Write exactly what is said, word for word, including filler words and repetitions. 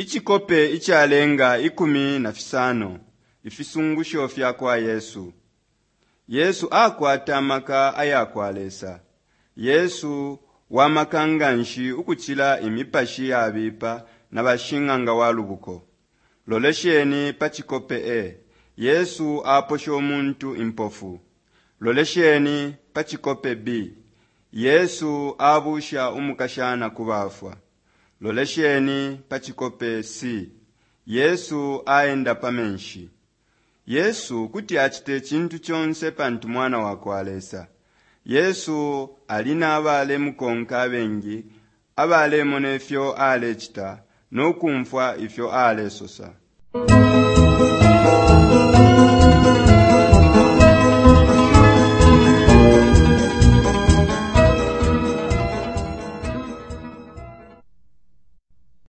Icikope icalenga ikumi na fisano ifisungusho fya kwa Yesu. Yesu akwata amaka aya kwa Lesa. Yesu wa maka nganshi ukucila imipashi yabipa na bashing'anga wa lubuko. Lolesheni pa cikope A. Yesu aposha umuntu impofu. Lolesheni pa cikope B. Yesu abusha umukashana ku bafwa. Lolesheni pa cikope C. Yesu aenda pa menshi. Yesu kuti acite cintu conse pantu mwana wa kwa Lesa. Yesu ali na abalemukonka abengi abalemona ifyo alecita no kumfwa ifyo alesosa.